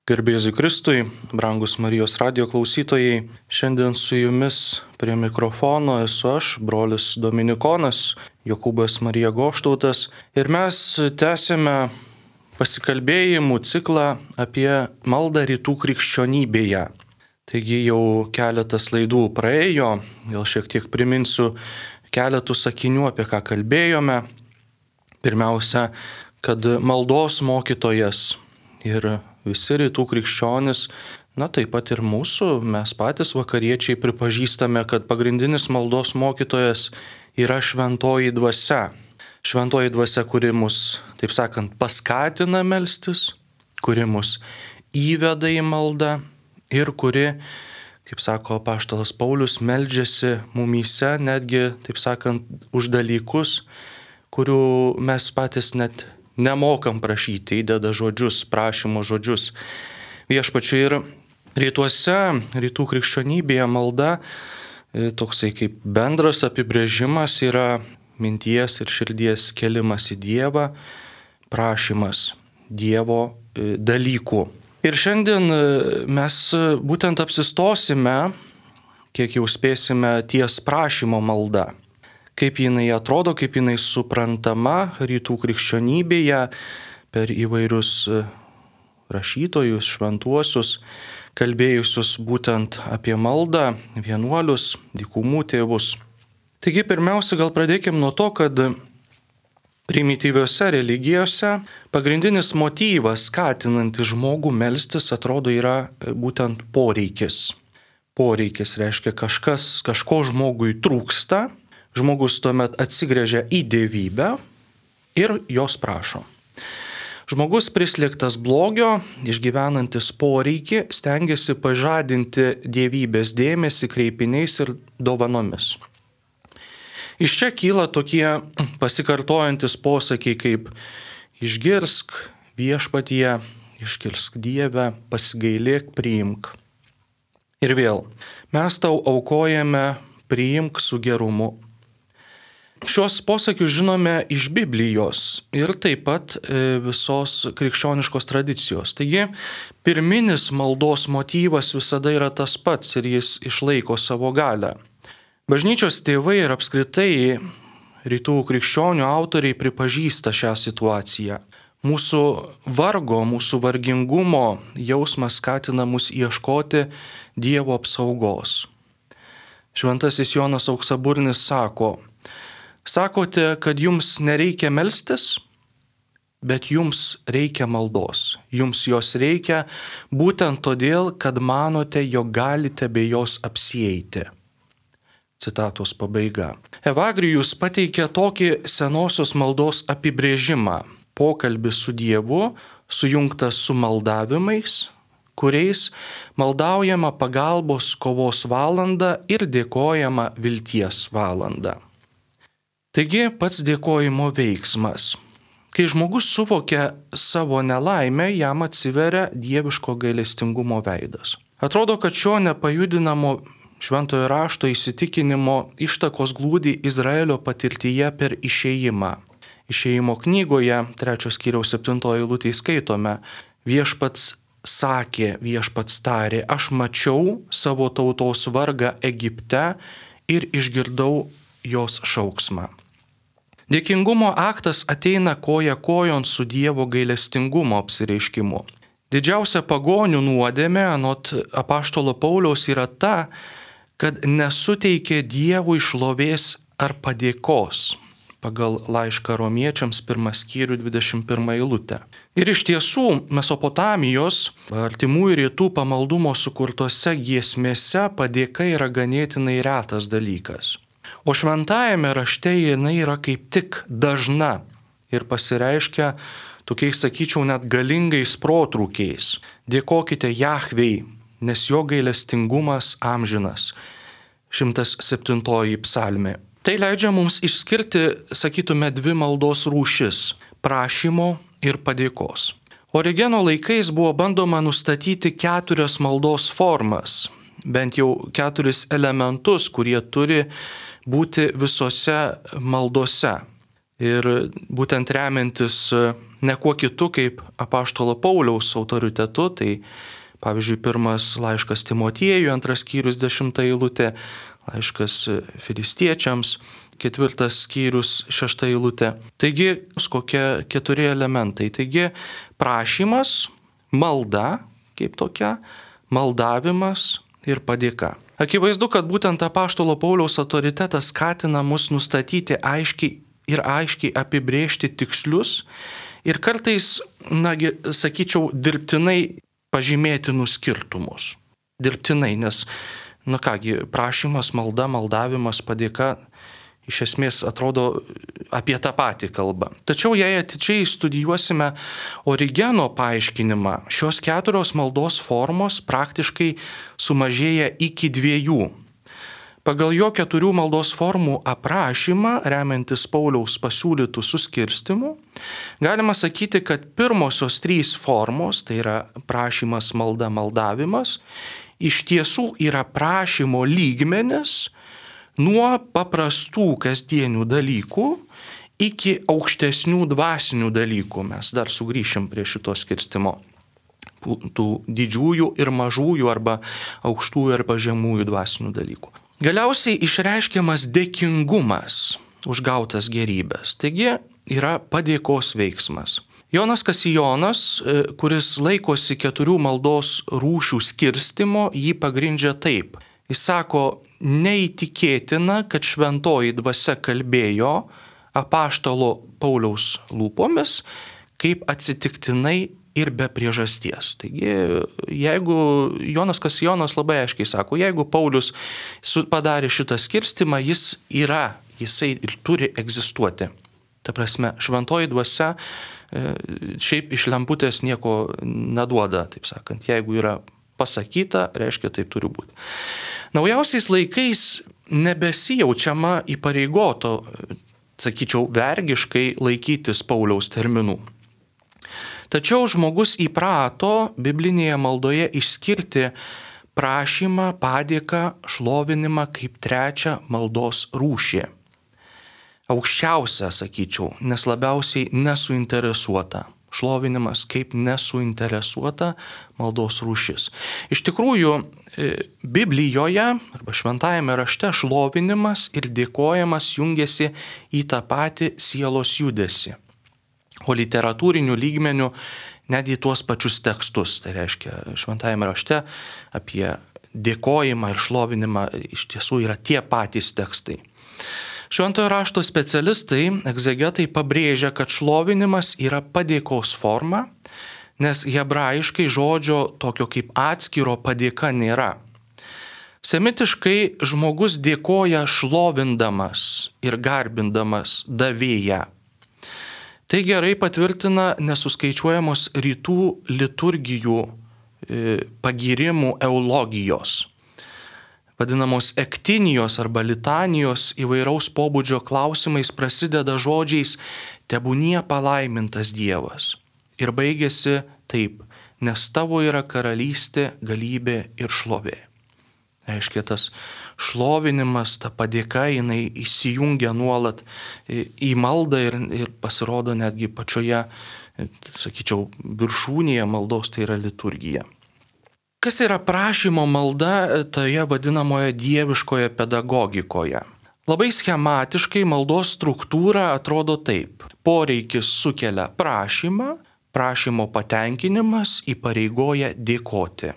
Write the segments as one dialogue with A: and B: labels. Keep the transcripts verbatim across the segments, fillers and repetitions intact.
A: Garbėzui Kristui, brangus Marijos radijo klausytojai, šiandien su jumis prie mikrofono esu aš, brolis Dominikonas, Jokūbas Marija Goštautas, ir mes tęsime pasikalbėjimų ciklą apie maldą rytų krikščionybėje. Taigi jau keletas laidų praėjo, gal šiek tiek priminsiu keletų sakinių, apie ką kalbėjome. Pirmiausia, kad maldos mokytojas ir visi rytų krikščionis, na taip pat ir mūsų, mes patys vakariečiai pripažįstame, kad pagrindinis maldos mokytojas yra šventoji dvasia. Šventoji dvasia, kuri mus, taip sakant, paskatina melstis, kuri mus įveda į maldą ir kuri, kaip sako apaštalas Paulius, meldžiasi mumyse netgi, taip sakant, už dalykus, kurių mes patys net nemokam prašyti, įdeda žodžius, prašymo žodžius viešpačiui. Ir rytuose, rytų krikščionybėje malda, toksai kaip bendras apibrėžimas yra minties ir širdies kelimas į Dievą, prašymas Dievo dalykų. Ir šiandien mes būtent apsistosime, kiek jau spėsime, ties prašymo malda. Kaip jinai atrodo, kaip jinai suprantama rytų krikščionybėje per įvairius rašytojus, šventuosius, kalbėjusius būtent apie maldą, vienuolius, dykumų tėvus. Taigi pirmiausia, gal pradėkim nuo to, kad primityviose religijose pagrindinis motyvas skatinantis žmogų melstis atrodo yra būtent poreikis. Poreikis reiškia kažkas, kažko žmogui trūksta. Žmogus tuomet atsigręžia į dievybę ir jos prašo. Žmogus prislėgtas blogio, išgyvenantis poreikį, stengiasi pažadinti dievybės dėmesį kreipiniais ir dovanomis. Iš čia kyla tokie pasikartojantis posakiai kaip išgirsk viešpatie, išgirsk Dieve, pasigailėk, priimk. Ir vėl, mes tau aukojame, priimk su gerumu. Šios posakius žinome iš Biblijos ir taip pat visos krikščioniškos tradicijos. Taigi, pirminis maldos motyvas visada yra tas pats ir jis išlaiko savo galią. Bažnyčios tėvai ir apskritai rytų krikščionių autoriai pripažįsta šią situaciją. Mūsų vargo, mūsų vargingumo jausmas skatina mus ieškoti Dievo apsaugos. Šventasis Jonas Auksaburnis sako: Sakote, kad jums nereikia melstis, bet jums reikia maldos. Jums jos reikia būtent todėl, kad manote, jog galite be jos apsieiti. Citatos pabaiga. Evagrijus pateikia tokį senosios maldos apibrėžimą. Pokalbis su Dievu sujungtas su maldavimais, kuriais maldaujama pagalbos kovos valandą ir dėkojama vilties valandą. Taigi pats dėkojimo veiksmas. Kai žmogus suvokia savo nelaimę, jam atsiveria dieviško gailestingumo veidas. Atrodo, kad šio nepajudinamo šventojo rašto įsitikinimo ištakos glūdi Izraelio patirtyje per išėjimą. Išėjimo knygoje, trečios skyriaus septintoje eilutėje skaitome: Viešpats sakė, viešpats tarė, aš mačiau savo tautos vargą Egipte ir išgirdau jos šauksmą. Dėkingumo aktas ateina koja kojon su Dievo gailestingumo apsireiškimu. Didžiausia pagonių nuodėmė, anot apaštalo Pauliaus, yra ta, kad nesuteikė Dievui šlovės ar padėkos, pagal laišką romiečiams pirmas skyrių dvidešimt pirmą eilutę. Ir iš tiesų Mesopotamijos, artimųjų rytų pamaldumo sukurtose giesmėse padėka yra ganėtinai retas dalykas. O šventajame rašte jinai yra kaip tik dažna ir pasireiškia tokiais, sakyčiau, net galingais protrūkiais. Dėkokite Jahvei, nes jo gailestingumas amžinas. šimtas septintoji psalmė. Tai leidžia mums išskirti, sakytume, dvi maldos rūšis – prašymo ir padėkos. Origeno laikais buvo bandoma nustatyti keturias maldos formas, bent jau keturis elementus, kurie turi būti visose maldose. Ir būtent remiantis ne kuo kitu kaip apaštalo Pauliaus autoritetu, tai pavyzdžiui, pirmas laiškas Timotiejui, antras skyrius, dešimta eilutė, laiškas Filistiečiams, ketvirtas skyrius, šešta eilutė. Taigi, kokie keturi elementai. Taigi, prašymas, malda, kaip tokia, maldavimas ir padėka. Akivaizdu, kad būtent apaštalo Pauliaus autoritetas skatina mus nustatyti aiškiai ir aiškiai apibrėžti tikslius ir kartais, nagi, sakyčiau, dirbtinai pažymėtinus skirtumus. Dirbtinai, nes, na kągi, prašymas, malda, maldavimas, padėka iš esmės atrodo apie tą patį kalbą. Tačiau jei atidžiai studijuosime Origeno paaiškinimą, šios keturios maldos formos praktiškai sumažėja iki dviejų. Pagal jo keturių maldos formų aprašymą, remiantis Pauliaus pasiūlytų suskirstimu, galima sakyti, kad pirmosios trys formos, tai yra prašymas, malda, maldavimas, iš tiesų yra prašymo lygmenis nuo paprastų kasdienių dalykų iki aukštesnių dvasinių dalykų. Mes dar sugrįšim prie šito skirstimo. Tų didžiųjų ir mažųjų arba aukštųjų arba žemųjų dvasinių dalykų. Galiausiai išreiškiamas dėkingumas už gautas gerybės. Taigi yra padėkos veiksmas. Jonas Kasijonas, kuris laikosi keturių maldos rūšių skirstimo, jį pagrindžia taip. Jis sako, neįtikėtina, kad šventoji dvasia kalbėjo apaštalo Pauliaus lūpomis, kaip atsitiktinai ir be priežasties. Taigi, jeigu Jonas Kasijonas labai aiškiai sako, jeigu Paulius padarė šitą skirstimą, jis yra, jisai ir turi egzistuoti. Ta prasme, šventoji dvasia šiaip iš lemputės nieko neduoda, taip sakant. Jeigu yra pasakyta, reiškia, taip turi būti. Naujausiais laikais nebesijaučiama įpareigoto, sakyčiau, vergiškai laikytis Pauliaus terminų. Tačiau žmogus įprato biblinėje maldoje išskirti prašymą, padėką, šlovinimą kaip trečią maldos rūšį. Aukščiausia, sakyčiau, nes labiausiai nesuinteresuota. Šlovinimas kaip nesuinteresuota maldos rūšis. Iš tikrųjų, Biblijoje arba šventajame rašte šlovinimas ir dėkojimas jungiasi į tą patį sielos judesį. O literatūrinių lygmenių net į tuos pačius tekstus. Tai reiškia, šventajame rašte apie dėkojimą ir šlovinimą iš tiesų yra tie patys tekstai. Šventojo rašto specialistai, egzegetai pabrėžia, kad šlovinimas yra padėkos forma, nes hebrajiškai žodžio tokio kaip atskiro padėka nėra. Semitiškai žmogus dėkoja šlovindamas ir garbindamas davėją. Tai gerai patvirtina nesuskaičiuojamos rytų liturgijų pagyrimų eulogijos. Vadinamos ektinijos arba litanijos įvairaus pobūdžio klausimais prasideda žodžiais tebūnie palaimintas Dievas. Ir baigėsi taip, nes tavo yra karalystė, galybė ir šlovė. Reiškia, tas šlovinimas, ta padėka, jinai įsijungia nuolat į maldą ir, ir pasirodo netgi pačioje, sakyčiau, viršūnėje maldos, tai yra liturgija. Kas yra prašymo malda toje vadinamoje dieviškoje pedagogikoje? Labai schematiškai maldos struktūra atrodo taip. Poreikis sukelia prašymą, prašymo patenkinimas įpareigoja dėkoti.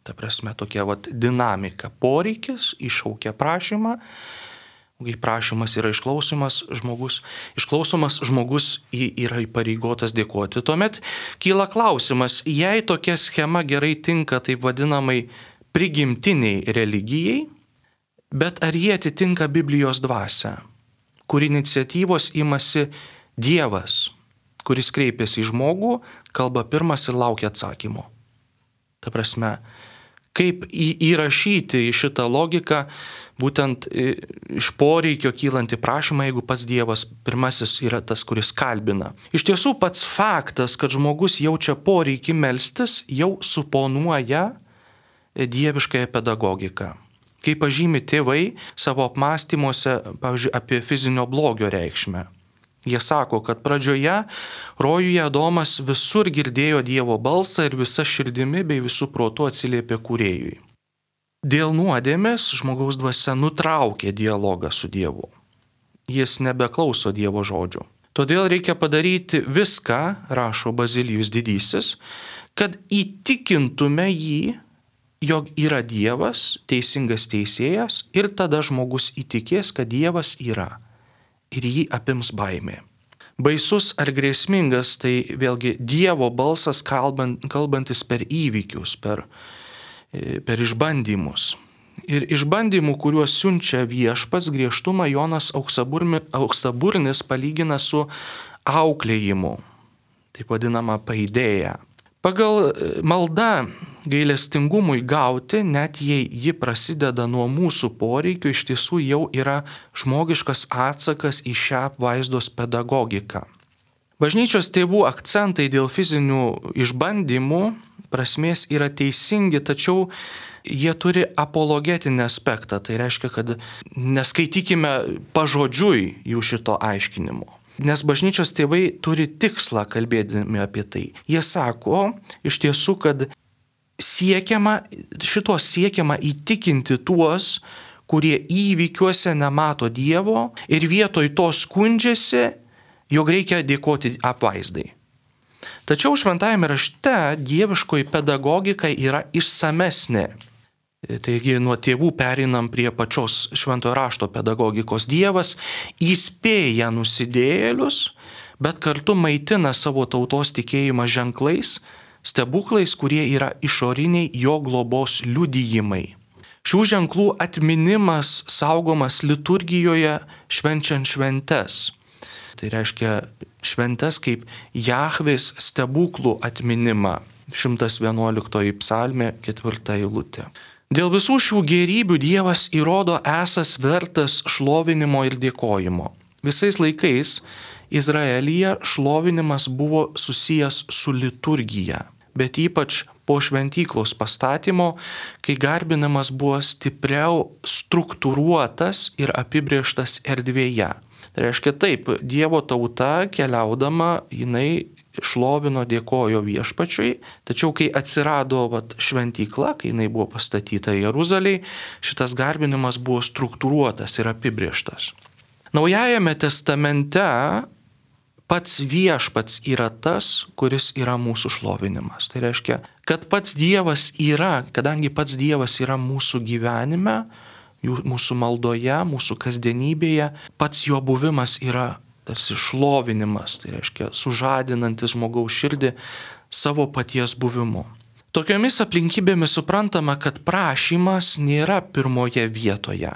A: Ta prasme, tokia vat dinamika. Poreikis iššaukia prašymą, kai prašymas yra išklausomas, žmogus, išklausomas žmogus yra įpareigotas dėkoti. Tuomet kyla klausimas, jei tokia schema gerai tinka taip vadinamai prigimtiniai religijai, bet ar jie atitinka Biblijos dvasią, kur iniciatyvos imasi Dievas, kuris kreipiasi į žmogų, kalba pirmas ir laukia atsakymo. Ta prasme, kaip įrašyti į šitą logiką būtent iš poreikio kylantį prašymą, jeigu pats Dievas pirmasis yra tas, kuris kalbina. Iš tiesų pats faktas, kad žmogus jaučia poreikį melstis, jau suponuoja dieviškąją pedagogiką. Kaip pažymi tėvai savo apmąstymuose, pavyzdžiui, apie fizinio blogio reikšmę. Jie sako, kad pradžioje rojuje Adomas visur girdėjo Dievo balsą ir visa širdimi bei visų protų atsiliepė kūrėjui. Dėl nuodėmės žmogaus dvasia nutraukė dialogą su Dievu. Jis nebeklauso Dievo žodžių. Todėl reikia padaryti viską, rašo Bazilijus didysis, kad įtikintume jį, jog yra Dievas, teisingas teisėjas, ir tada žmogus įtikės, kad Dievas yra, ir jį apims baimė. Baisus ar grėsmingas tai vėlgi Dievo balsas kalbant, kalbantis per įvykius, per, per išbandymus. Ir išbandymų, kuriuos siunčia viešpats, griežtumą Jonas Auksaburnis palygina su auklėjimu, taip vadinama paidėja. Pagal maldą gailestingumui gauti, net jei ji prasideda nuo mūsų poreikių, iš tiesų jau yra žmogiškas atsakas į šią apvaizdos pedagogiką. Bažnyčios tėvų akcentai dėl fizinių išbandymų prasmės yra teisingi, tačiau jie turi apologetinį aspektą. Tai reiškia, kad neskaitykime pažodžiui jų šito aiškinimo. Nes bažnyčios tėvai turi tikslą kalbėdami apie tai. Jie sako iš tiesų, kad siekiama, šito siekiama įtikinti tuos, kurie įvykiuose nemato Dievo ir vietoj to skundžiasi, jog reikia dėkoti apvaizdai. Tačiau šventajame rašte dieviškoji pedagogika yra išsamesnė. Taigi nuo tėvų pereinam prie pačios šventojo rašto pedagogikos. Dievas įspėja nusidėjėlius, bet kartu maitina savo tautos tikėjimą ženklais, stebuklais, kurie yra išoriniai jo globos liudijimai. Šių ženklų atminimas saugomas liturgijoje švenčiant šventes. Tai reiškia šventes kaip Jahvės stebuklų atminimą. šimtas vienuoliktoji psalmė, ketvirta eilutė. Dėl visų šių gėrybių Dievas įrodo esas vertas šlovinimo ir dėkojimo. Visais laikais Izraelyje šlovinimas buvo susijęs su liturgija, bet ypač po šventyklos pastatymo, kai garbinamas buvo stipriau struktūruotas ir apibrėžtas erdvėje. Tai reiškia taip, Dievo tauta keliaudama, jinai šlovino, dėkojo viešpačiui, tačiau kai atsirado vat, šventykla, kai jinai buvo pastatyta Jeruzalėje, šitas garbinimas buvo struktūruotas ir apibrėžtas. Naujajame testamente pats viešpats yra tas, kuris yra mūsų šlovinimas. Tai reiškia, kad pats Dievas yra, kadangi pats Dievas yra mūsų gyvenime, mūsų maldoje, mūsų kasdienybėje, pats jo buvimas yra tarsi šlovinimas, tai reiškia sužadinantis žmogaus širdį savo paties buvimu. Tokiomis aplinkybėmis suprantama, kad prašymas nėra pirmoje vietoje.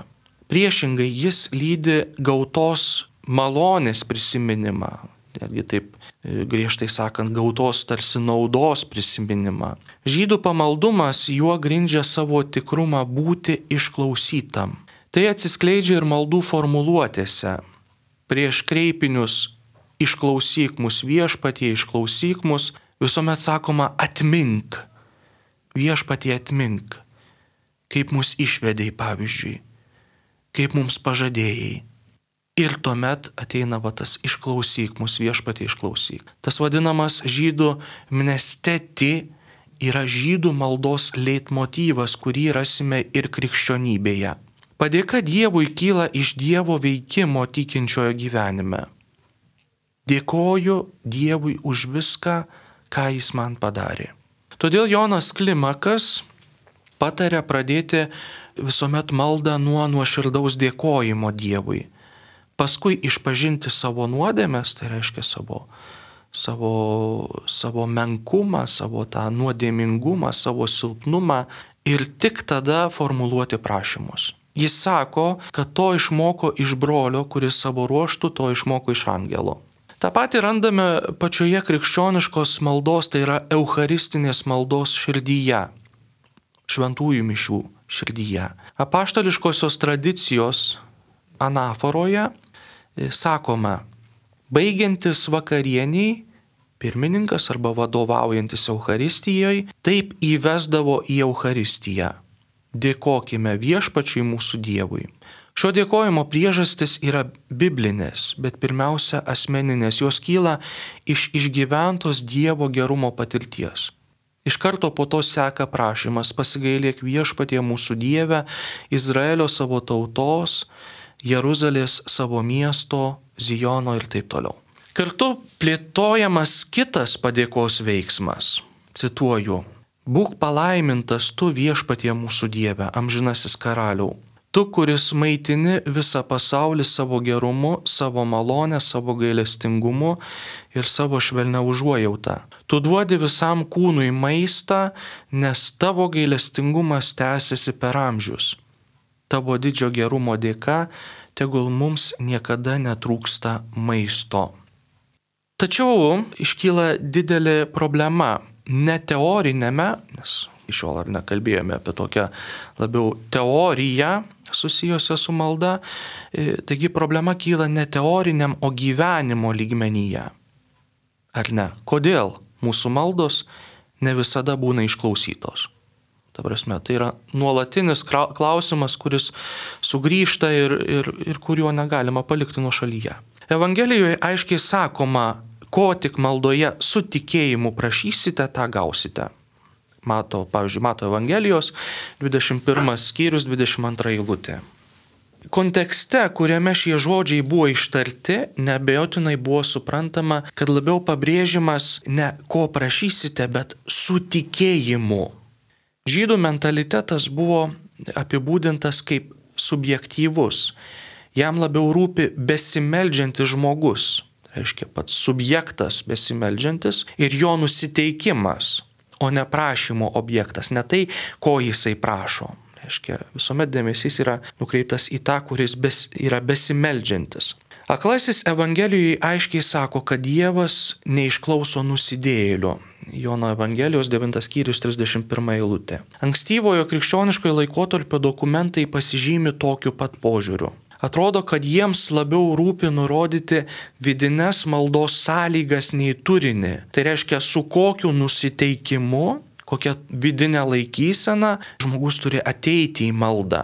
A: Priešingai jis lydi gautos malonės prisiminimą, netgi taip griežtai sakant, gautos tarsi naudos prisiminimą. Žydų pamaldumas juo grindžia savo tikrumą būti išklausytam. Tai atsiskleidžia ir maldų formuluotėse. Prieš kreipinius išklausyk mus viešpatie, išklausyk mus, visuomet sakoma atmink. Viešpatie atmink. Kaip mus išvedėjai, pavyzdžiui. Kaip mums pažadėjai. Ir tuomet ateina va, tas išklausyk mus viešpatie, išklausyk. Tas vadinamas žydų mnesteti yra žydų maldos leitmotyvas, kurį rasime ir krikščionybėje. Padėka Dievui kyla iš Dievo veikimo tikinčiojo gyvenime. Dėkoju Dievui už viską, ką jis man padarė. Todėl Jonas Klimakas patarė pradėti visuomet maldą nuo nuoširdaus dėkojimo Dievui. Paskui išpažinti savo nuodėmes, tai reiškia savo, savo, savo menkumą, savo tą nuodėmingumą, savo silpnumą ir tik tada formuluoti prašymus. Jis sako, kad to išmoko iš brolio, kuris savo ruoštų to išmoko iš angelo. Ta pati randame pačioje krikščioniškos maldos, tai yra eucharistinės maldos širdyje, šventųjų mišių širdyje. Apaštališkosios tradicijos anaforoje sakoma, baigiantis vakarieniai, pirmininkas arba vadovaujantis Eucharistijoje, taip įvesdavo į Eucharistiją. Dėkokime viešpačiui mūsų Dievui, Šio dėkojimo priežastis yra biblinės, bet pirmiausia asmeninės. Jos kyla iš išgyventos Dievo gerumo patirties. Iš karto po to seka prašymas: pasigailėk viešpatie mūsų Dieve, Izraelio savo tautos, Jeruzalės savo miesto, Zijono ir taip toliau. Kartu plėtojamas kitas padėkos veiksmas. Cituoju: būk palaimintas tu viešpatie mūsų Dieve, amžinasis karaliau. Tu, kuris maitini visą pasaulį savo gerumu, savo malonę, savo gailestingumu ir savo švelnia užuojautą. Tu duodi visam kūnui maistą, nes tavo gailestingumas tęsiasi per amžius. Tavo didžio gerumo dėka tegul mums niekada netrūksta maisto. Tačiau iškyla didelė problema. Ne teorinėme, nes iš šiol ar nekalbėjome apie tokią labiau teoriją susijusią su malda, taigi problema kyla ne teoriniam, o gyvenimo lygmenyje. Ar ne? Kodėl mūsų maldos ne visada būna išklausytos? Ta prasme, tai yra nuolatinis klausimas, kuris sugrįžta ir, ir, ir kuriuo negalima palikti nuošalyje. Evangelijoje aiškiai sakoma: ko tik maldoje su tikėjimu prašysite, tą gausite. Mato, pavyzdžiui, Mato Evangelijos dvidešimt pirmas skyrius, dvidešimt antra eilutė. Kontekste, kuriame šie žodžiai buvo ištarti, neabejotinai buvo suprantama, kad labiau pabrėžimas ne ko prašysite, bet su tikėjimu. Žydų mentalitetas buvo apibūdintas kaip subjektyvus. Jam labiau rūpi besimeldžiantis žmogus. Reiškia pats subjektas besimeldžiantis ir jo nusiteikimas, o ne prašymo objektas, ne tai, ko jisai prašo. Reiškia, visuomet dėmesys yra nukreiptas į tą, kuris bes, yra besimeldžiantis. Aklasis Evangelijoje aiškiai sako, kad Dievas neišklauso nusidėjėlių. Jono Evangelijos devintas skyrius trisdešimt pirma eilutė. Ankstyvojo krikščioniškojo laikotarpio dokumentai pasižymi tokiu pat požiūriu. Atrodo, kad jiems labiau rūpi nurodyti vidines maldos sąlygas nei turinį. Tai reiškia, su kokiu nusiteikimu, kokia vidinė laikysena žmogus turi ateiti į maldą.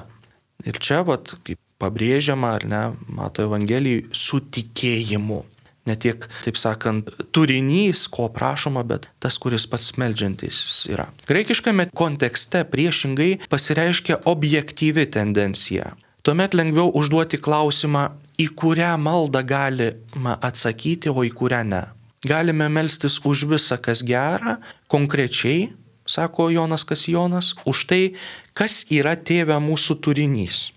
A: Ir čia, vat, kaip pabrėžiama, ar ne, Mato Evangelijai, su tikėjimu. Ne tiek, taip sakant, turinys, ko prašoma, bet tas, kuris pats meldžiantis yra. Graikiškame kontekste priešingai pasireiškia objektyvi tendencija. Tuomet lengviau užduoti klausimą, į kurią maldą galima atsakyti, o į kurią ne. Galime melstis už visą, kas gera, konkrečiai, sako Jonas Kasijonas, už tai, kas yra Tėve mūsų turinys.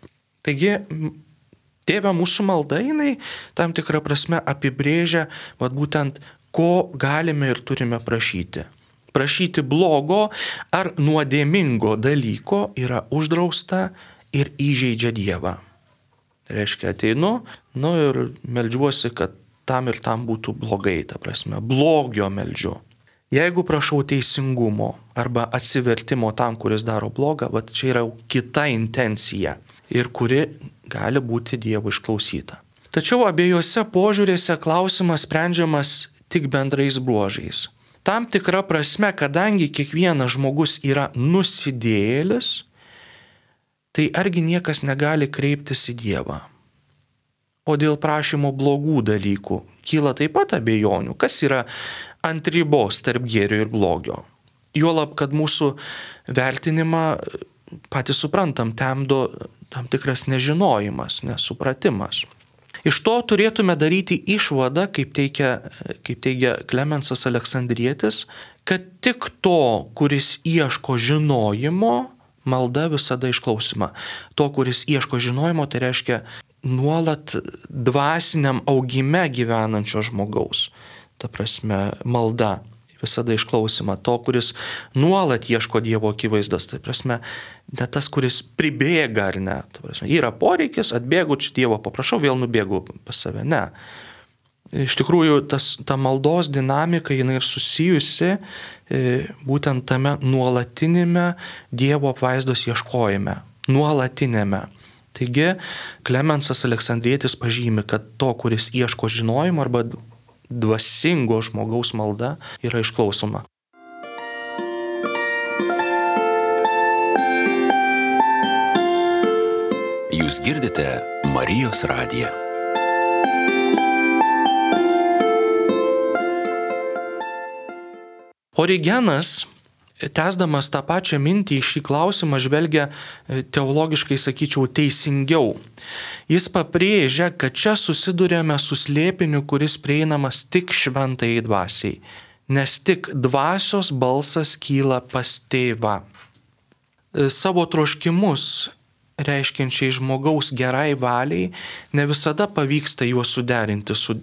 A: Taigi, Tėve mūsų malda, jinai tam tikrą prasme apibrėžia, vat būtent, ko galime ir turime prašyti. Prašyti blogo ar nuodėmingo dalyko yra uždrausta ir įžeidžia Dievą. Tai reiškia, ateinu, nu ir meldžiuosi, kad tam ir tam būtų blogai, ta prasme, blogio meldžiu. Jeigu prašau teisingumo arba atsivertimo tam, kuris daro blogą, va čia yra kita intencija ir kuri gali būti Dievo išklausyta. Tačiau abiejose požiūrėse klausimas sprendžiamas tik bendrais bruožais. Tam tikra prasme, kadangi kiekvienas žmogus yra nusidėjėlis, tai argi niekas negali kreiptis į Dievą. O dėl prašymo blogų dalykų kyla taip pat abejonių, kas yra ant ribos tarp gėrio ir blogio. Juolab, kad mūsų vertinimą patys suprantam, temdo tam tikras nežinojimas, nesupratimas. Iš to turėtume daryti išvadą, kaip teigia, kaip teigia Klemensas Aleksandrietis, kad tik to, kuris ieško žinojimo, malda visada išklausima. To, kuris ieško žinojimo, tai reiškia nuolat dvasiniam augime gyvenančio žmogaus. Ta prasme, malda visada išklausima. To, kuris nuolat ieško Dievo akivaizdos. Tai prasme, ne tas, kuris pribėga ar ne. Ta prasme, yra poreikis, atbėgu čia Dievo, paprašau, vėl nubėgu pas save. Ne. Iš tikrųjų, tas, ta maldos dinamika, jinai ir susijusi būtent tame nuolatinėme Dievo apvaizdos ieškojime. Nuolatinėme. Taigi, Klemensas Aleksandrietis pažymi, kad to, kuris ieško žinojimo arba dvasingo žmogaus malda, yra išklausoma.
B: Jūs Jūs girdite Marijos radiją.
A: Origenas, tęsdamas tą pačią mintį į šį klausimą, žvelgia teologiškai, sakyčiau, teisingiau. Jis pabrėžia, kad čia susidurėme su slėpiniu, kuris prieinamas tik šventajai dvasiai, nes tik dvasios balsas kyla pas tėvą. Savo troškimus, reiškiančiai žmogaus gerai valiai, ne visada pavyksta juos suderinti su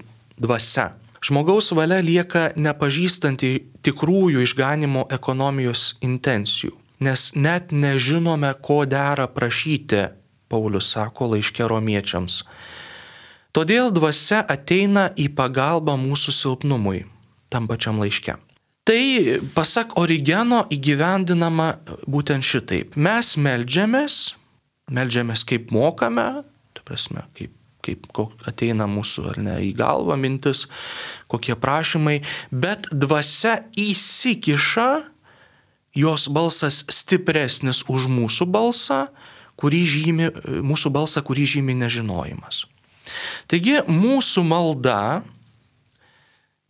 A: dvasia. Žmogaus valia lieka nepažįstanti tikrųjų išganimo ekonomijos intencijų, nes net nežinome, ko dera prašyti, Paulius sako laiške romiečiams. Todėl dvasia ateina į pagalbą mūsų silpnumui, tam pačiam laiške. Tai, pasak Origeno, įgyvendinama būtent šitaip. Mes meldžiamės, meldžiamės kaip mokame, tai prasme, kaip kaip ateina mūsų ar ne į galvą mintis, kokie prašymai, bet dvasia įsikiša, jos balsas stipresnis už mūsų balsą, kurį žymi, mūsų balsą, kurį žymi nežinojimas. Taigi mūsų malda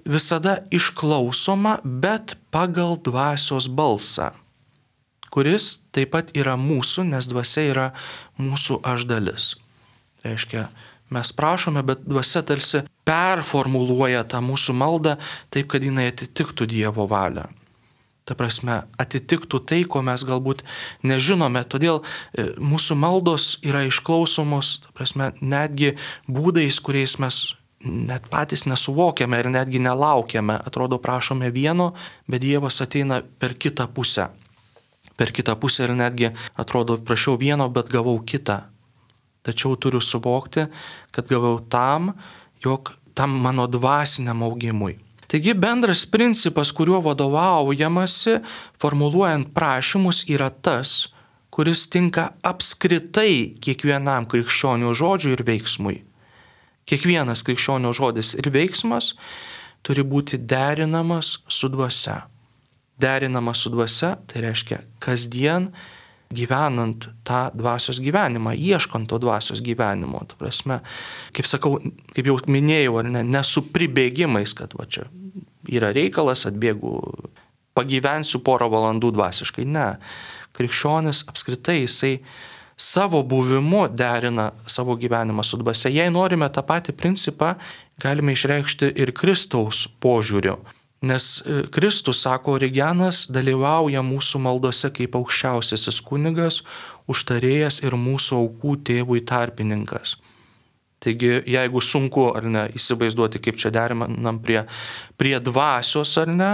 A: visada išklausoma, bet pagal dvasios balsą, kuris taip pat yra mūsų, nes dvasia yra mūsų aš dalis. Tai reiškia, mes prašome, bet dvasia tarsi performuluoja tą mūsų maldą taip, kad jinai atitiktų Dievo valią. Ta prasme, atitiktų tai, ko mes galbūt nežinome. Todėl mūsų maldos yra išklausomos, ta prasme, netgi būdais, kuriais mes net patys nesuvokiame ir netgi nelaukiame. Atrodo, prašome vieno, bet Dievas ateina per kitą pusę. Per kitą pusę ir netgi atrodo, prašiau vieno, bet gavau kitą. Tačiau turiu suvokti, kad gavau tam, jog tam mano dvasiniam augimui. Taigi bendras principas, kuriuo vadovaujamasi, formuluojant prašymus, yra tas, kuris tinka apskritai kiekvienam krikščionio žodžiui ir veiksmui. Kiekvienas krikščionio žodis ir veiksmas turi būti derinamas su dvasia. Derinamas su dvasia, tai reiškia kasdien gyvenant tą dvasios gyvenimą, ieškant to dvasios gyvenimo. Ta prasme, kaip sakau, kaip jau minėjau, ar ne, ne su pribėgimais, kad va čia yra reikalas, atbėgu, pagyvensiu porą valandų dvasiškai. Ne. Krikščionis apskritai jisai savo buvimu derina savo gyvenimą su dvasia. Jei norime tą patį principą, galime išreikšti ir Kristaus požiūriu. Nes Kristus, sako Origenas, dalyvauja mūsų maldose kaip aukščiausiasis kunigas, užtarėjas ir mūsų aukų tėvui tarpininkas. Taigi, jeigu sunku ar ne įsivaizduoti, kaip čia derinam prie, prie dvasios ar ne,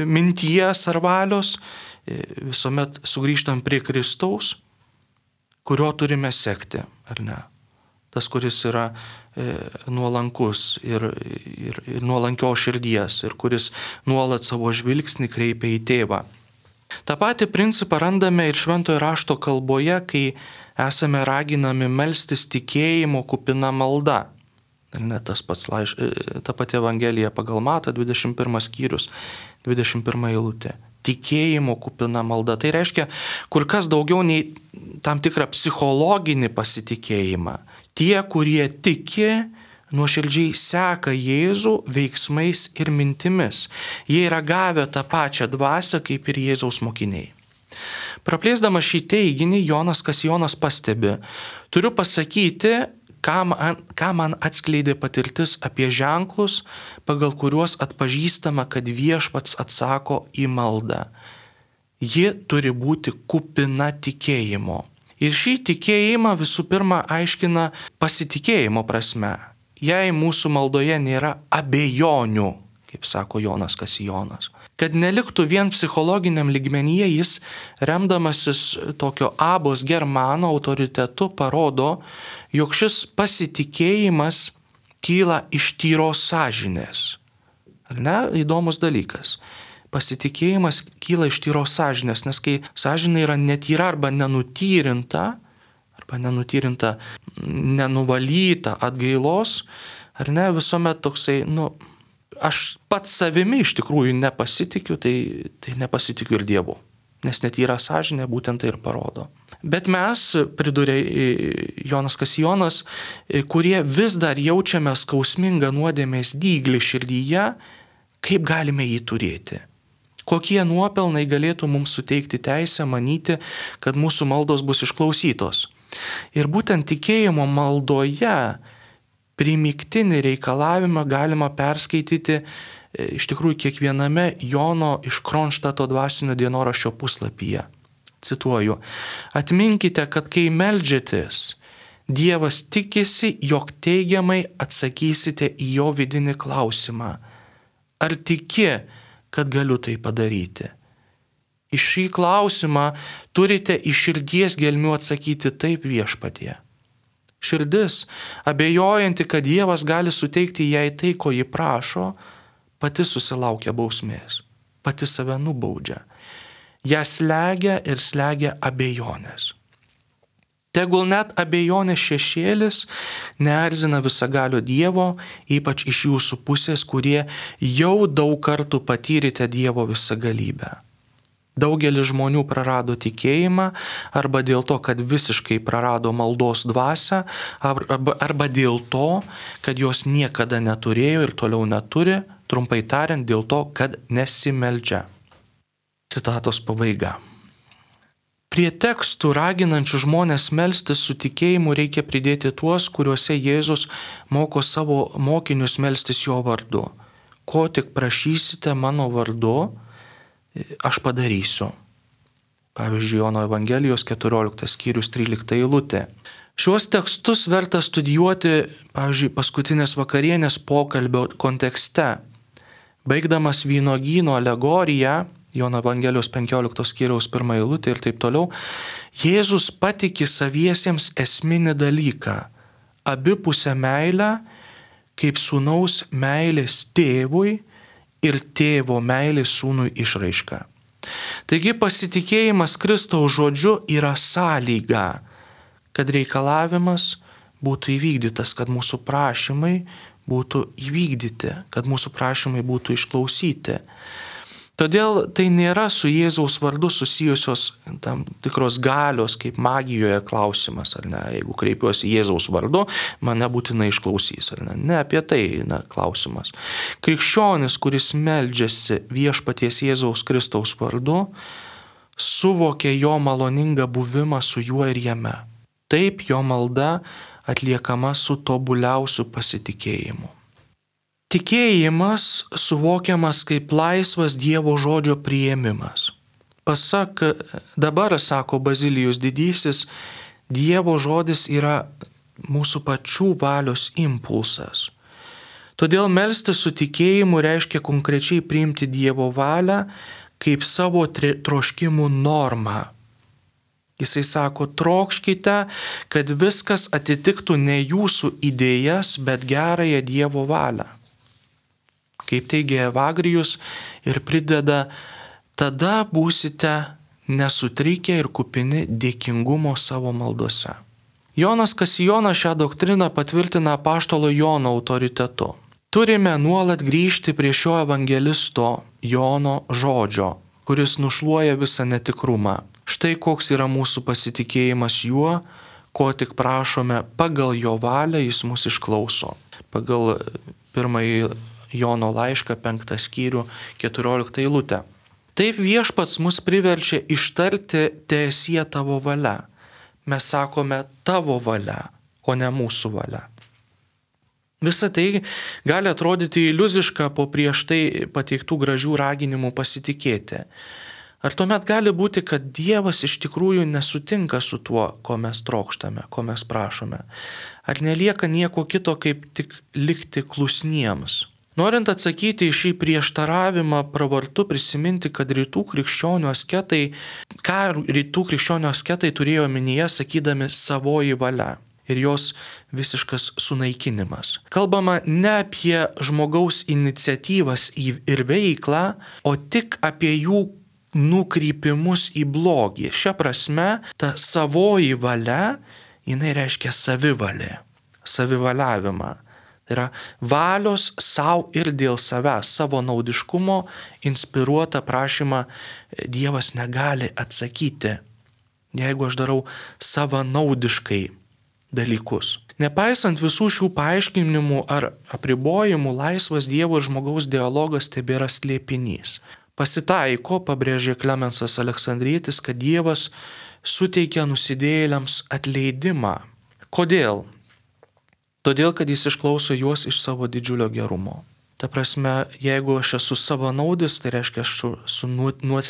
A: minties ar valios, visuomet sugrįžtam prie Kristaus, kurio turime sekti, ar ne. Tas, kuris yra e, nuolankus ir, ir, ir nuolankios širdies ir kuris nuolat savo žvilgsnį kreipia į tėvą. Ta pati principą randame ir Šventojo rašto kalboje, kai esame raginami melstis tikėjimo kupina malda. Ne, tas pats laiš, ta pati Evangelija pagal Matą, dvidešimt pirmas skyrius, dvidešimt pirma eilutė. Tikėjimo kupina malda. Tai reiškia kur kas daugiau nei tam tikrą psichologinį pasitikėjimą. Tie, kurie tiki, nuoširdžiai seka Jėzų veiksmais ir mintimis. Jie yra gavę tą pačią dvasią kaip ir Jėzaus mokiniai. Praplėsdamas šį teiginį, Jonas Kasijonas pastebi, turiu pasakyti, ką man, ką man atskleidė patirtis apie ženklus, pagal kuriuos atpažįstama, kad viešpats atsako į maldą. Ji turi būti kupina tikėjimo. Ir šį tikėjimą visų pirma aiškina pasitikėjimo prasme. Jei mūsų maldoje nėra abejonių, kaip sako Jonas Kasijonas, kad neliktų vien psichologiniam lygmenyje, jis, remdamasis tokio abos germano autoritetu, parodo, jog šis pasitikėjimas kyla iš tyros sąžinės. Ar ne? Įdomus dalykas. Pasitikėjimas kyla iš tyros sąžinės, nes kai sąžinė yra netyra arba nenutyrinta, arba nenutyrinta, nenuvalyta atgailos, ar ne, visuomet toksai, nu, aš pats savimi iš tikrųjų nepasitikiu, tai, tai nepasitikiu ir Dievu. nes netyra sąžinė būtent tai ir parodo. Bet mes, pridurė Jonas Kasijonas, kurie vis dar jaučiame skausmingą nuodėmės dyglį širdyje, kaip galime jį turėti? Kokie nuopelnai galėtų mums suteikti teisę manyti, kad mūsų maldos bus išklausytos? Ir būtent tikėjimo maldoje primygtinį reikalavimą galima perskaityti iš tikrųjų kiekviename Jono iš Kronštato dvasinio dienoraščio puslapyje. Cituoju, atminkite, kad kai meldžiatės, Dievas tikisi, jog teigiamai atsakysite į jo vidinį klausimą. Ar tiki, kad galiu tai padaryti? Į šį klausimą turite iš širdies gelmių atsakyti taip viešpatie. Širdis, abejojanti, kad Dievas gali suteikti jai tai, ko ji prašo, pati susilaukia bausmės, pati save nubaudžia. Ją slegia ir slegia abejonės. Tegul net abejonės šešėlis neerzina visagalio Dievo, ypač iš jūsų pusės, kurie jau daug kartų patyrėte Dievo visagalybę. Daugelis žmonių prarado tikėjimą arba dėl to, kad visiškai prarado maldos dvasią, arba, arba dėl to, kad jos niekada neturėjo ir toliau neturi, trumpai tariant, dėl to, kad nesimeldžia. Citatos pabaiga. Prie tekstų raginančių žmonės melstis su tikėjimu reikia pridėti tuos, kuriuose Jėzus moko savo mokinius melstis jo vardu. Ko tik prašysite mano vardu, aš padarysiu. Pavyzdžiui, Jono Evangelijos keturioliktas skyrius trylikta eilutė. Šiuos tekstus verta studijuoti, pavyzdžiui, paskutinės vakarienės pokalbio kontekste. Baigdamas vynuogyno alegoriją, Jono Evangelijos penkioliktos skyriaus pirmą eilutę ir taip toliau, Jėzus patiki saviesiems esminį dalyką – abipusę meilę, kaip sūnaus meilės tėvui ir tėvo meilės sūnui išraiška. Taigi pasitikėjimas Kristaus žodžiu yra sąlyga, kad reikalavimas būtų įvykdytas, kad mūsų prašymai būtų įvykdyti, kad mūsų prašymai būtų išklausyti. Todėl tai nėra su Jėzaus vardu susijusios tam tikros galios, kaip magijoje klausimas, ar ne? Jeigu kreipiuosi Jėzaus vardu, mane būtinai išklausys, ar ne? Ne apie tai na, klausimas. Krikščionis, kuris meldžiasi viešpaties Jėzaus Kristaus vardu, suvokia jo maloningą buvimą su juo ir jame. Taip jo malda atliekama su tobuliausiu pasitikėjimu. Tikėjimas suvokiamas kaip laisvas Dievo žodžio priėmimas. Pasak, dabar, sako Bazilijus didysis, Dievo žodis yra mūsų pačių valios impulsas. Todėl melstis su tikėjimu reiškia konkrečiai priimti Dievo valią kaip savo troškimų normą. Jisai sako, trokškite, kad viskas atitiktų ne jūsų idėjas, bet gerąją Dievo valią. Kaip teigia Evagrijus ir prideda, tada būsite nesutrikę ir kupini dėkingumo savo maldose. Jonas Kasijonas šią doktriną patvirtina apaštalo Jono autoritetu. Turime nuolat grįžti prie šio evangelisto Jono žodžio, kuris nušluoja visą netikrumą. Štai koks yra mūsų pasitikėjimas juo, ko tik prašome, pagal jo valią jis mus išklauso. Pagal pirmąjį Jono laišką penktą skyrių keturioliktą eilutę. Taip viešpats mus priverčia ištarti teesie tavo valia. Mes sakome tavo valia, o ne mūsų valia. Visa tai gali atrodyti iliuziška po prieš tai pateiktų gražių raginimų pasitikėti. Ar tuomet gali būti, kad Dievas iš tikrųjų nesutinka su tuo, ko mes trokštame, ko mes prašome? Ar nelieka nieko kito, kaip tik likti klusniems? Norint atsakyti į šį prieštaravimą, pravartu prisiminti, kad rytų krikščionių asketai, ką rytų krikščionių asketai turėjo omenyje, sakydami savoji valia ir jos visiškas sunaikinimas. Kalbama ne apie žmogaus iniciatyvas ir veiklą, o tik apie jų nukrypimus į blogį. Šia prasme, ta savoji valia, jinai reiškia savivalė, savivaliavimą. Tai yra valios savo ir dėl savęs, savo naudiškumo inspiruotą prašymą Dievas negali atsakyti, jeigu aš darau savanaudiškai dalykus. Nepaisant visų šių paaiškinimų ar apribojimų, laisvas Dievo ir žmogaus dialogas tebėra slėpinys. Pasitaiko, pabrėžė Klemensas Aleksandrietis, kad Dievas suteikia nusidėjėliams atleidimą. Kodėl? Todėl, kad jis išklauso juos iš savo didžiulio gerumo. Ta prasme, jeigu aš esu savanaudis, tai reiškia, aš esu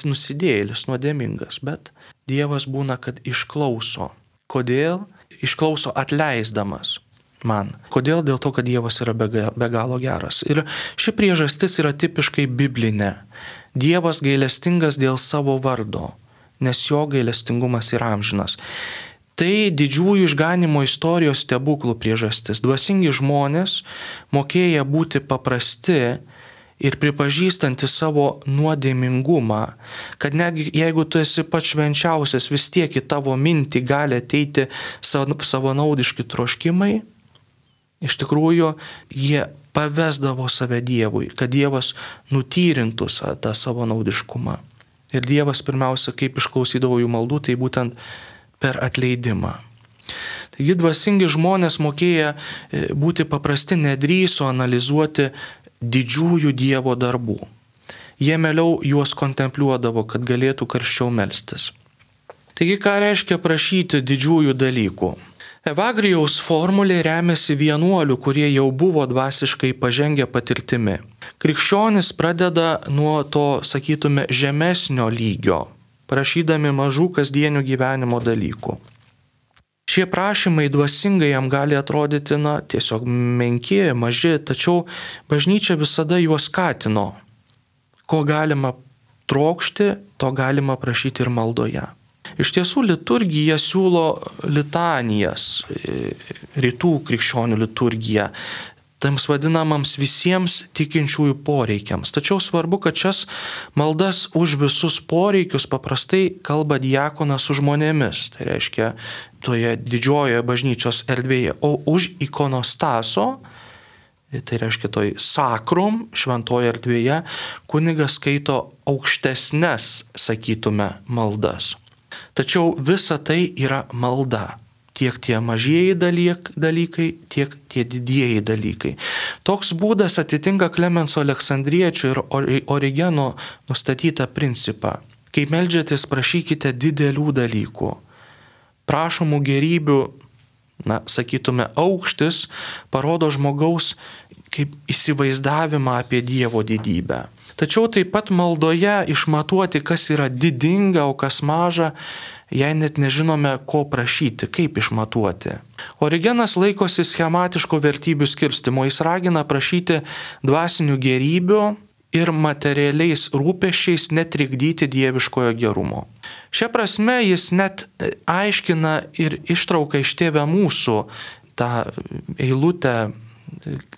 A: nusidėjėlis, nuodėmingas, bet Dievas būna, kad išklauso. Kodėl? Išklauso atleisdamas man. Kodėl? Dėl to, kad Dievas yra be galo geras. Ir ši priežastis yra tipiškai biblinė. Dievas gailestingas dėl savo vardo, nes jo gailestingumas yra amžinas. Tai didžiųjų išganimo istorijos stebuklų priežastis. Dvasingi žmonės, mokėję būti paprasti ir pripažįstanti savo nuodėmingumą, kad netgi jeigu tu esi pats švenčiausias, vis tiek į tavo mintį gali ateiti savanaudiški troškimai, iš tikrųjų jie pavesdavo save Dievui, kad Dievas nutyrintų tą savanaudiškumą. Ir Dievas pirmiausia, kaip išklausydavo jų maldų, tai būtent per atleidimą. Taigi dvasingi žmonės mokėję būti paprasti nedrįso analizuoti didžiųjų Dievo darbų. Jie mieliau juos kontempliuodavo, kad galėtų karščiau melstis. Taigi ką reiškia prašyti didžiųjų dalykų? Evagrijaus formulė remiasi vienuolių, kurie jau buvo dvasiškai pažengę patirtimi. Krikščionis pradeda nuo to, sakytume, žemesnio lygio, prašydami mažų kasdienių gyvenimo dalykų. Šie prašymai dvasingai jam gali atrodyti, na, tiesiog menki, maži, tačiau bažnyčia visada juos skatino. Ko galima trokšti, to galima prašyti ir maldoje. Iš tiesų liturgija siūlo litanijas, rytų krikščionių liturgija, tams vadinamams visiems tikinčiųjų poreikiams. Tačiau svarbu, kad šias maldas už visus poreikius paprastai kalba diakonas su žmonėmis, tai reiškia toje didžiojoje bažnyčios erdvėje, o už ikonostaso, tai reiškia toj sakrum, šventoje erdvėje, kunigas skaito aukštesnes, sakytume, maldas. Tačiau visa tai yra malda. Tiek tie mažieji dalyk, dalykai, tiek tie didieji dalykai. Toks būdas atitinka Klemenso Aleksandriečio ir Origeno nustatytą principą. Kai meldžiatės, prašykite didelių dalykų. Prašomų gerybių, na, sakytume, aukštis parodo žmogaus kaip įsivaizdavimą apie Dievo didybę. Tačiau taip pat maldoje išmatuoti, kas yra didinga, o kas maža, jei net nežinome, ko prašyti, kaip išmatuoti. Origenas laikosi schematiško vertybių skirstimo, jis ragina prašyti dvasinių gerybių ir materialiais rūpesčiais netrikdyti dieviškojo gerumo. Šia prasme jis net aiškina ir ištrauka iš Tėve mūsų tą eilutę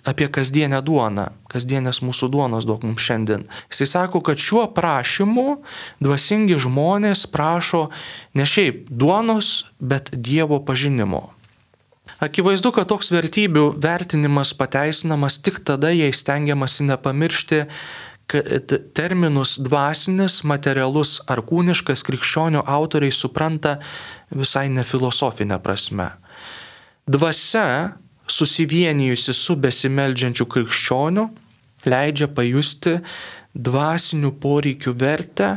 A: apie kasdienę duoną, kasdienės mūsų duonos duok mums šiandien. Jis sako, kad šiuo prašymu dvasingi žmonės prašo ne šiaip duonos, bet Dievo pažinimo. Akivaizdu, kad toks vertybių vertinimas pateisinamas tik tada, jei stengiamasi nepamiršti, kad terminus dvasinis, materialus ar kūniškas krikščionių autoriai supranta visai ne filosofinę prasme. Dvasia, susivienijusi su besimeldžiančiu krikščioniu, leidžia pajusti dvasinių poreikių vertę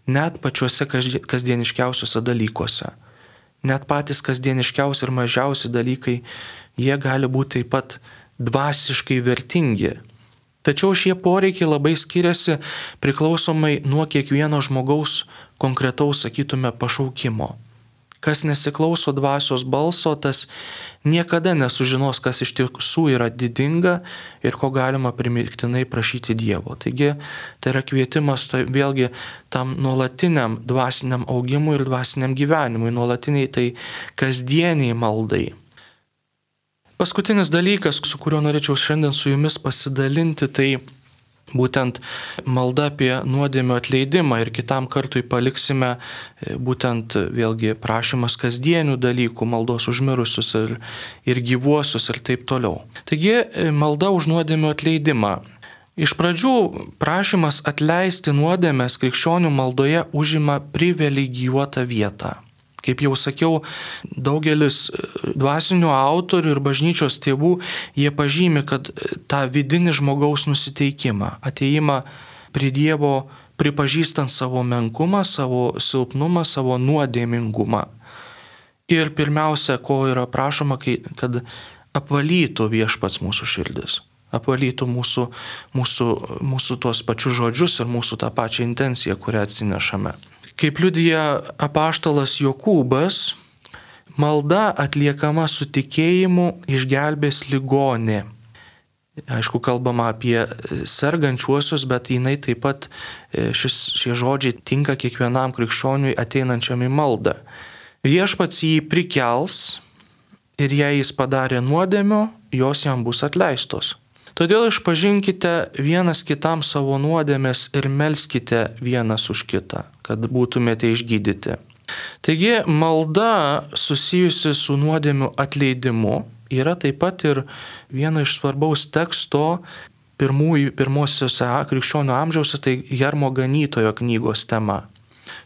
A: net pačiuose kasdieniškiausiuose dalykuose. Net patys kasdieniškiausi ir mažiausi dalykai, jie gali būti taip pat dvasiškai vertingi. Tačiau šie poreikiai labai skiriasi priklausomai nuo kiekvieno žmogaus konkretaus, sakytume, pašaukimo. Kas nesiklauso dvasios balso, tas niekada nesužinos, kas iš tiesų yra didinga ir ko galima primygtinai prašyti Dievo. Taigi tai yra kvietimas tai vėlgi tam nuolatiniam dvasiniam augimui ir dvasiniam gyvenimui, nuolatiniai tai kasdieniai maldai. Paskutinis dalykas, su kuriuo norėčiau šiandien su jumis pasidalinti, tai būtent malda apie nuodėmių atleidimą ir kitam kartui paliksime būtent vėlgi prašymas kasdienių dalykų, maldos už mirusius ir, ir gyvuosius ir taip toliau. Taigi malda už nuodėmių atleidimą. Iš pradžių prašymas atleisti nuodėmes krikščionių maldoje užima privilegijuotą vietą. Kaip jau sakiau, daugelis dvasinių autorių ir bažnyčios tėvų, jie pažymi, kad tą vidinį žmogaus nusiteikimą, ateimą prie Dievo, pripažįstant savo menkumą, savo silpnumą, savo nuodėmingumą. Ir pirmiausia, ko yra prašoma, kad apvalytų viešpats mūsų širdis, apvalytų mūsų, mūsų, mūsų tuos pačius žodžius ir mūsų tą pačią intenciją, kurią atsinešame. Kaip liudija apaštalas Jokūbas, malda atliekama su tikėjimu išgelbės ligonį. Aišku, kalbama apie sergančiuosius, bet jinai taip pat šis, šie žodžiai tinka kiekvienam krikščioniui ateinančiam į maldą. Viešpats jį prikels ir jei jis padarė nuodėmių, jos jam bus atleistos. Todėl išpažinkite vienas kitam savo nuodėmes ir melskite vienas už kitą, kad būtumėte išgydyti. Taigi malda susijusi su nuodėmių atleidimu yra taip pat ir viena iš svarbaus teksto pirmųjų, pirmosiuose krikščionių amžiause, tai Hermo Ganytojo knygos tema.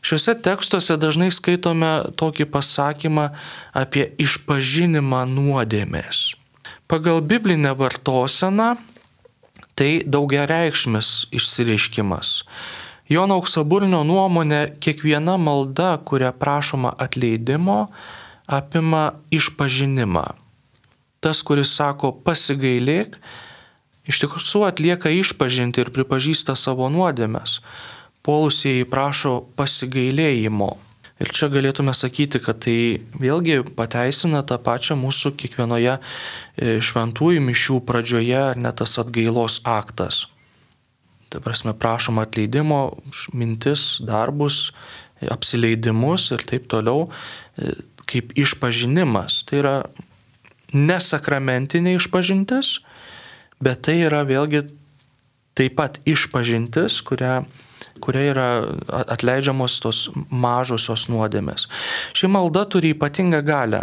A: Šiuose tekstuose dažnai skaitome tokį pasakymą apie išpažinimą nuodėmės. Pagal biblinę vartoseną tai daugiareikšmis išsireiškimas. Jono Auksaburnio nuomonė, kiekviena malda, kuria prašoma atleidimo, apima išpažinimą. Tas, kuris sako pasigailėk, iš tikrųjų atlieka išpažinti ir pripažįsta savo nuodėmes. Puolusieji prašo pasigailėjimo. Ir čia galėtume sakyti, kad tai vėlgi pateisina tą pačią mūsų kiekvienoje šventųjų mišių pradžioje, ar net tas atgailos aktas. Ta prasme, prašoma atleidimo, mintis, darbus, apsileidimus ir taip toliau, kaip išpažinimas. Tai yra nesakramentinė išpažintis, bet tai yra vėlgi taip pat išpažintis, kurią kuria yra atleidžiamos tos mažosios nuodėmės. Ši malda turi ypatingą galią.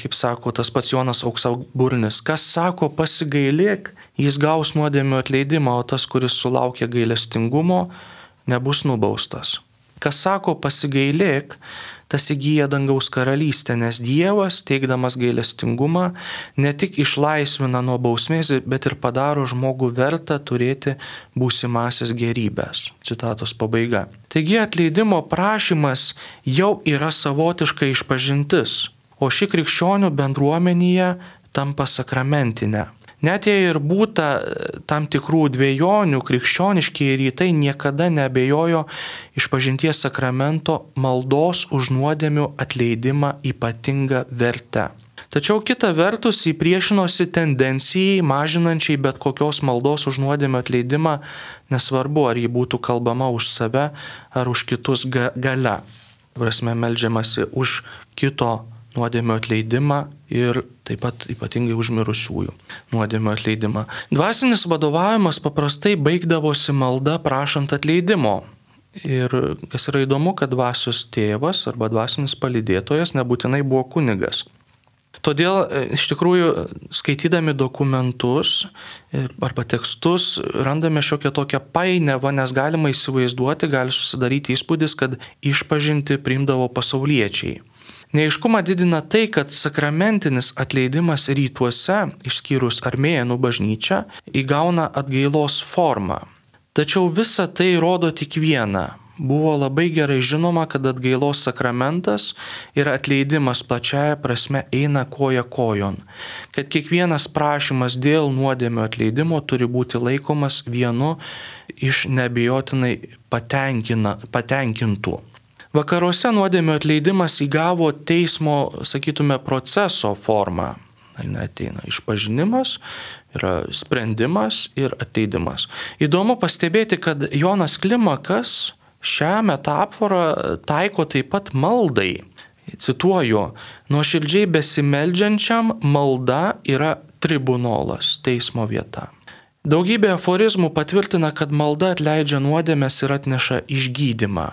A: Kaip sako tas pats Jonas Auksaburnis, kas sako pasigailėk, jis gaus nuodėmių atleidimą, o tas, kuris sulaukia gailestingumo, nebus nubaustas. Kas sako pasigailėk, tas įgyja dangaus karalystę, nes Dievas, teikdamas gailestingumą, ne tik išlaisvina nuo bausmės, bet ir padaro žmogų vertą turėti būsimasias gerybės. Citatos pabaiga. Taigi atleidimo prašymas jau yra savotiška išpažintis, o ši krikščionių bendruomenėje tampa sakramentinė. Net jei ir būta tam tikrų dvejonių, krikščioniškieji rytai niekada neabejojo išpažinties sakramento maldos už nuodėmių atleidimą ypatingą vertę. Tačiau kita vertus jį priešinosi tendencijai mažinančiai bet kokios maldos už nuodėmių atleidimą, nesvarbu ar jį būtų kalbama už save ar už kitus ga- gale. Prasme, meldžiamasi už kito nuodėmių atleidimą ir taip pat ypatingai už mirusiųjų nuodėmių atleidimą. Dvasinis vadovavimas paprastai baigdavosi malda prašant atleidimo. Ir kas yra įdomu, kad dvasios tėvas arba dvasinis palydėtojas nebūtinai buvo kunigas. Todėl iš tikrųjų skaitydami dokumentus arba tekstus randame šiokią tokią painiavą, nes galima įsivaizduoti, gali susidaryti įspūdis, kad išpažinti priimdavo pasauliečiai. Neaiškumą didina tai, kad sakramentinis atleidimas rytuose, išskyrus armėnų bažnyčią, įgauna atgailos formą. Tačiau visa tai rodo tik vieną. Buvo labai gerai žinoma, kad atgailos sakramentas ir atleidimas plačiaja prasme eina koja kojon. Kad kiekvienas prašymas dėl nuodėmių atleidimo turi būti laikomas vienu iš neabejotinai patenkintų. Vakaruose nuodėmių atleidimas įgavo teismo, sakytume, proceso formą. Ateina išpažinimas, yra sprendimas ir atleidimas. Įdomu pastebėti, kad Jonas Klimakas šią metaforą taiko taip pat maldai. Cituoju, nuoširdžiai besimeldžiančiam malda yra tribunolas, teismo vieta. Daugybė aforizmų patvirtina, kad malda atleidžia nuodėmes ir atneša išgydymą.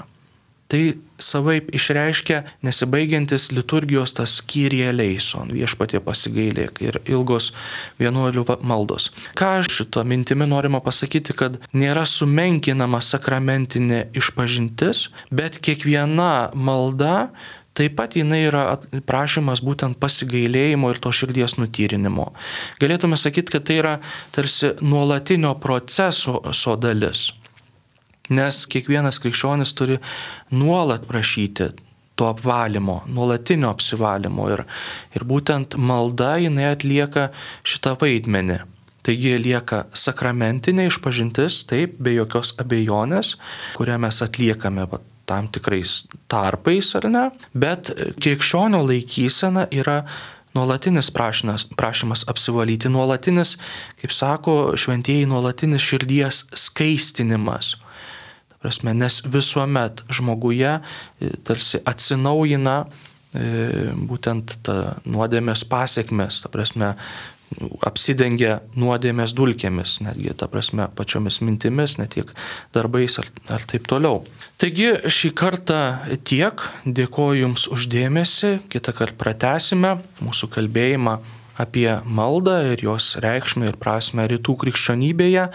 A: Tai savaip išreiškia nesibaigiantis liturgijos tas Kyrie eleison, Viešpatie pasigailėk, ir ilgos vienuolių maldos. Ką šito mintimi norima pasakyti, kad nėra sumenkinama sakramentinė išpažintis, bet kiekviena malda taip pat jinai yra prašymas būtent pasigailėjimo ir to širdies nutyrinimo. Galėtume sakyti, kad tai yra tarsi nuolatinio proceso dalis. Nes kiekvienas krikščionis turi nuolat prašyti to apvalymo, nuolatinio apsivalymo ir, ir būtent malda jinai atlieka šitą vaidmenį. Taigi lieka sakramentinė išpažintis, taip, be jokios abejonės, kurią mes atliekame tam tikrais tarpais, ar ne, bet krikščionio laikysena yra nuolatinis prašymas, prašymas apsivalyti, nuolatinis, kaip sako šventieji, nuolatinis širdies skaistinimas. Prasme, nes visuomet žmoguje tarsi atsinaujina e, būtent ta nuodėmės pasiekmes, ta prasme, apsidengia nuodėmės dulkėmis, netgi, ta prasme, pačiomis mintimis, ne tiek darbais ar, ar taip toliau. Taigi šį kartą tiek, dėkoju Jums už dėmesį, kitą kartą pratęsime mūsų kalbėjimą apie maldą ir jos reikšmę ir prasmę rytų krikščionybėje.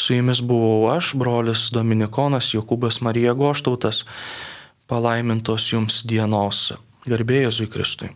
A: Su Jumis buvau aš, brolis Dominikonas Jokūbas Marija Goštautas. Palaimintos Jums dienos. Garbė Jėzui Kristui.